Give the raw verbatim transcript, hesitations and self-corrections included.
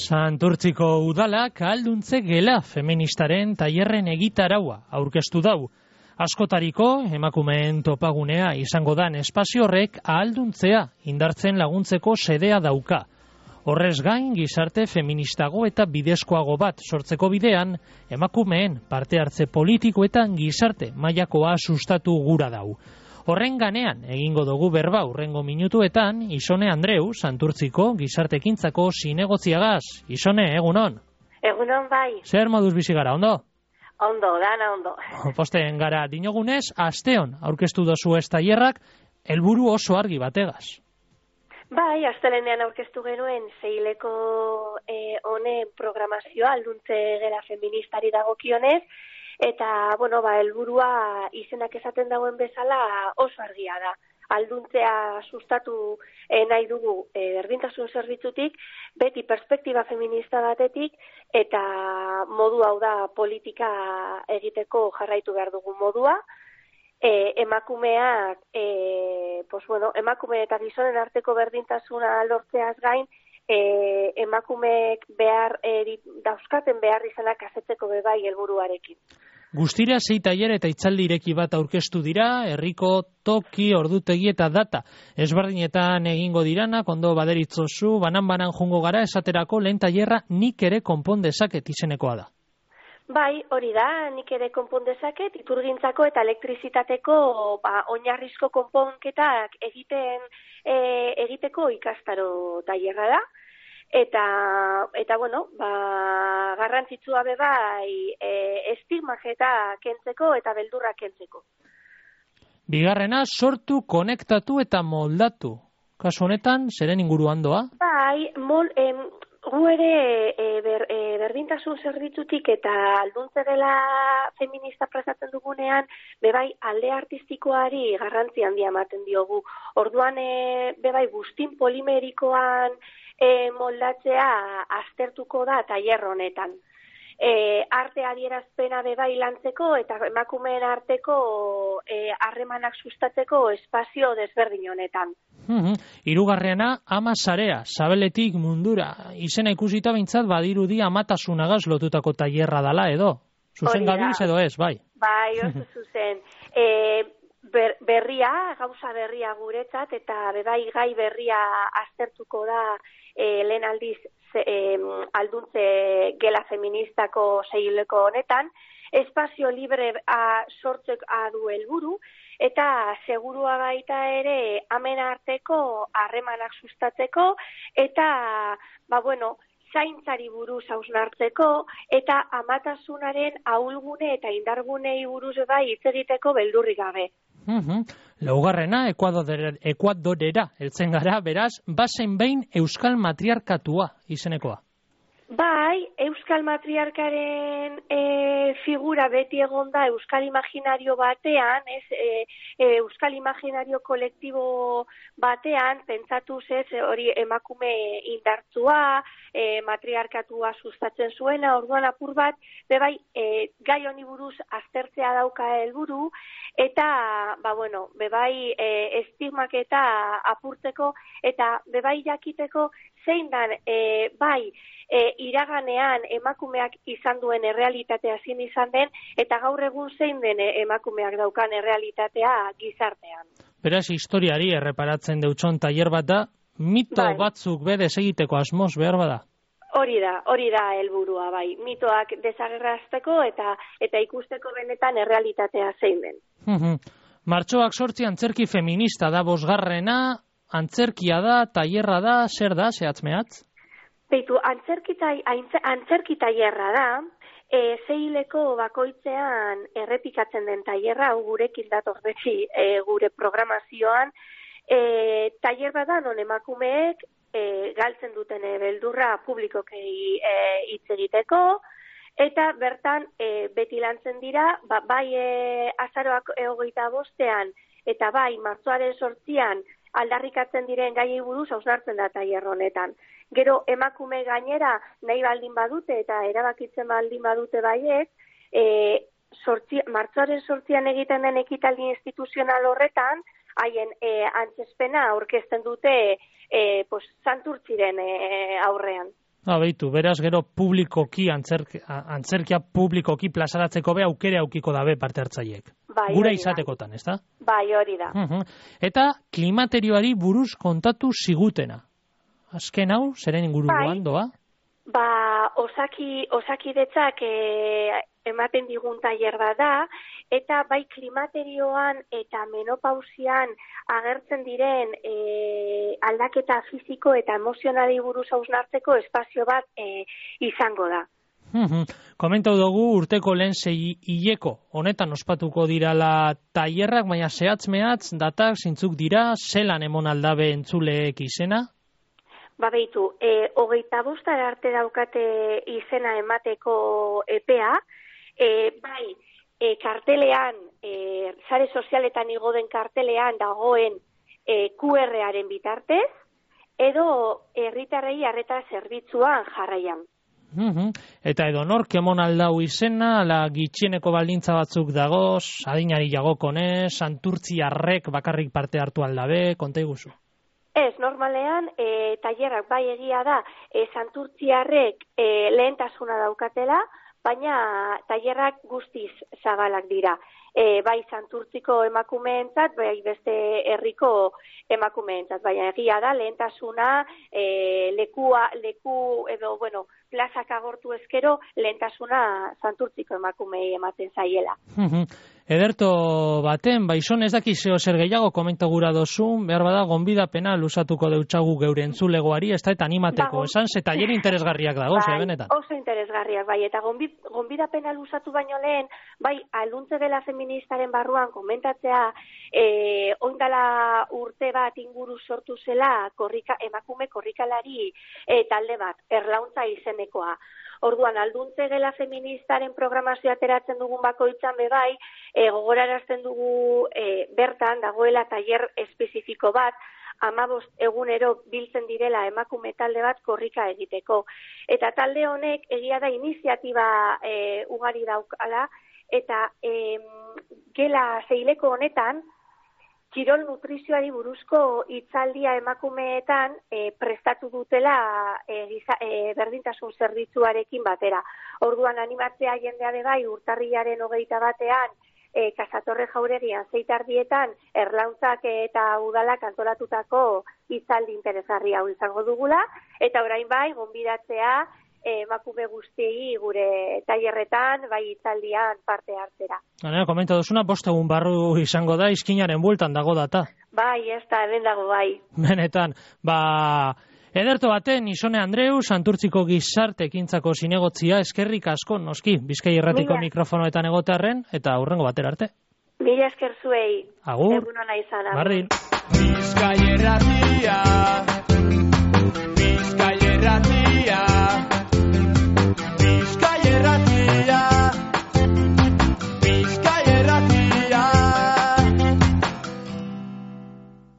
Santurtziko udalak ahalduntze gela feministaren tailerren egitaraua aurkeztu dau. Askotariko emakumeen topagunea izango dan espazio horrek ahalduntzea indartzen laguntzeko sedea dauka. Horrez gain gizarte feministago eta bidezkoago bat sortzeko bidean, emakumeen parte hartze politikoetan gizarte mailakoa sustatu gura dau. Horren ganean, egingo dugu berba urrengo minutuetan, Isone Andreu, Santurtziko gizartekintzako zinegotziagaz. Isone, egunon? Egunon bai. Zer moduz bizi gara, ondo? Ondo, dana ondo. Posten gara, dinogunez, asteon aurkeztu dozu ez tailerrak, helburu oso argi bategaz. Bai, astelenean aurkeztu genuen zeileko eh, honen programazioa, alduntze gela feministari dagokionez, eta, bueno, ba, helburua izenak esaten dagoen bezala oso argia da. Alduntzea sustatu eh, nahi dugu eh, berdintasun zerbitzutik, beti perspektiba feminista batetik, eta modu hau da politika egiteko jarraitu behar dugu modua. E, emakumeak, e, pues bueno, emakume eta gizonen arteko berdintasuna lortzeaz gain, e, emakumeek behar e, dauzkaten behar izanak asetzeko bebai helburuarekin. Guztira sei tailer eta hitzaldi ireki bat aurkeztu dira, herriko toki, ordutegi eta data. Ezberdinetan egingo diranak, ondo baderitzozu, banan-banan jungo gara, esaterako lehen tailerra nik ere konpon dezaket izenekoa da. Bai, hori da, nik ere konpon dezaket, iturgintzako eta elektrizitateko ba, oinarrizko konponketak egiten e, egiteko ikastaro tailerra da. Eta, eta bueno, ba, garrantzitsua be bai e, estigmajeta kentzeko eta beldurra kentzeko. Bigarrena, sortu, konektatu eta moldatu. Kasu honetan, zeren inguruan doa? Bai, mol, em, gu ere e, ber, e, berdintasun zerbitzutik eta alduntze dela feminista prestatzen dugunean, bebai alde artistikoari garrantzi handia ematen diogu. Orduan, e, bebai guztin polimerikoan e, moldatzea aztertuko da tailer honetan. E, arte adierazpena bebai lantzeko eta emakumeen arteko harremanak e, sustatzeko espazio desberdin honetan. Mm-hmm. Hirugarrena, ama sarea, sabeletik mundura. Izena ikusita bintzat badirudi amatasunagaz lotutako tailerra dala edo. Zuzen gabiz edo ez, bai? Bai, oso zuzen. E, ber, berria, gauza berria guretzat eta bebai gai berria aztertuko da e, lehen aldiz ze, e, alduntze gela feministako zeileko honetan, espazio libre a, sortzek adu helburu, eta segurua baita ere amen arteko harremanak sustatzeko, eta, ba bueno, zaintzari buruz hausnartzeko, eta amatasunaren ahulgune eta indargunei buruz bai hitz egiteko beldurrik gabe. Mm-hmm. Laugarrena, Ekuadorera, Ekuadorera heltzen gara, beraz, bazen behin Euskal Matriarkatua izenekoa. Bai, Euskal Matriarkaren e, figura beti egonda Euskal Imaginario batean, ez, e, e, Euskal Imaginario kolektibo batean, pentsatuz ez, hori emakume indartzua, e, matriarkatua sustatzen zuena, orduan apur bat, bebai, e, gai honi buruz aztertzea dauka helburu, eta, ba bueno, bebai, e, estigmak eta apurtzeko, eta bebai jakiteko zein dan, e, bai, E, iraganean emakumeak izan duen errealitatea zin izan den, eta gaur egun zein den emakumeak daukan errealitatea gizartean. Beraz, historiari erreparatzen deutson tailer bat da, mito bai. Batzuk bede egiteko asmoz behar bada? Hori da, hori da helburua bai. Mitoak desagerrazteko eta eta ikusteko benetan errealitatea zein den. Mm-hmm. Martxoak sortzi antzerki feminista da bosgarrena, antzerkia da, tailerra da, zer da, zehatz-mehatz? Beitu, antzerki tailerra da, e, zeileko bakoitzean errepikatzen den tailerra, gurekin dator beti e, gure programazioan, e, tailer bat da non emakumeek e, galtzen duten e, beldurra publikokei e, hitz egiteko, eta bertan e, beti lantzen dira, ba, bai e, azaroak hogeita bostean eta bai, martxoaren sortzian aldarrikatzen diren gaiei buruz hausnartzen da tailer honetan. Gero emakume gainera nahi baldin badute eta erabakitzen baldin badute baiet, e, sortzi, martxoaren sortzian egiten den ekitaldi instituzional horretan, haien e, antzespena aurkezten dute e, pues, Santurtziren e, aurrean. Ha, behitu, beraz gero publikoki, antzerk, antzerkia publikoki plazaratzeko be aukere aukiko dabe parte hartzaiek. Bai, gura izatekotan, ez da? Bai, hori da. Uh-huh. Eta klimaterioari buruz kontatu zigutena. Azken hau, zeren inguruan doa? Ba, osaki, osakidetzak e, ematen digun tailer bat da, eta bai klimaterioan eta menopausian agertzen diren e, aldaketa fisiko eta emozionali buruz hausnartzeko espazio bat e, izango da. Uhum. Komentau dugu urteko lehen sei hileko honetan ospatuko dirala tailerrak, baina zehatz-mehatz datak zintzuk dira, zelan emon aldabe entzuleek izena? Ba behitu, e, hogeita bostar arte daukate izena emateko epea, e, bai, e, kartelean, e, sare sozialetan igo den kartelean dagoen e, Q R-aren bitartez, edo herritarrei arreta zerbitzuan jarraian. Uhum. Eta edo nork emon aldau izena, ala gitxieneko baldintza batzuk dagoz, adinari jagokonez, santurtziarrek bakarrik parte hartu aldabe, konta iguzu? Ez, normalean, e, tailerrak bai egia da, e, santurtziarrek e, lehentasuna daukatela, baina tailerrak guztiz zabalak dira. E, bai santurtziko emakumeentzat, bai beste herriko emakumeentzat, baina egia da, lehentasuna e, lekua, leku edo, bueno, plazak agortu ezkero, lehentasuna santurtziko emakumei ematen zaiela. Ederto baten, baizon ez daki zeo zer gehiago komenta gura dozun, behar bada gonbidapena lusatuko deutsagu geure entzulegoari, ez da eta animateko, ba, esan, ze tailer interesgarriak dago, bai, benetan. Oso interesgarriak, bai, eta gonbidapena lusatu baino lehen, bai, aluntze dela feministaren barruan komentatzea, e, oindala urte bat inguru sortu zela korrika, emakume korrikalari e, talde bat, erlauntza izenekoa. Orduan, alduntze gela feministaren programazioa ateratzen dugun bakoitzan bebai, e, gogorarazten dugu e, bertan dagoela tailer espezifiko bat, hamabost egunero biltzen direla emakume talde bat korrika egiteko. Eta talde honek egia da iniziatiba e, ugari daukala, eta e, gela zeileko honetan, kirol nutrizioari buruzko hitzaldia emakumeetan e, prestatu dutela e, giza, e, berdintasun zerbitzuarekin batera. Orduan animatzea jendea de bai urtarrilaren hogeita batean e, Kasatorre Jauregian zeitardietan erlauntzak eta udalak antolatutako hitzaldi interesgarri hau izango dugula, eta orain bai gonbidatzea emakume guztiei gure tailerretan, bai hitzaldian parte hartzera. Hanea, komenta duzuna, bost egun barru izango da, izkinaren bueltan dago data. Bai, ez da, hemen dago bai. Benetan, ba, ederto baten, Isone Andreu, Santurtziko gizarte ekintzako zinegotzia, eskerrik asko, noski, Bizkai Irratiko Mila. Mikrofonoetan egotearren, eta hurrengo batera arte. Mila esker zuei. Agur. Egun ona izan. Bardin. Bizkai Irratia.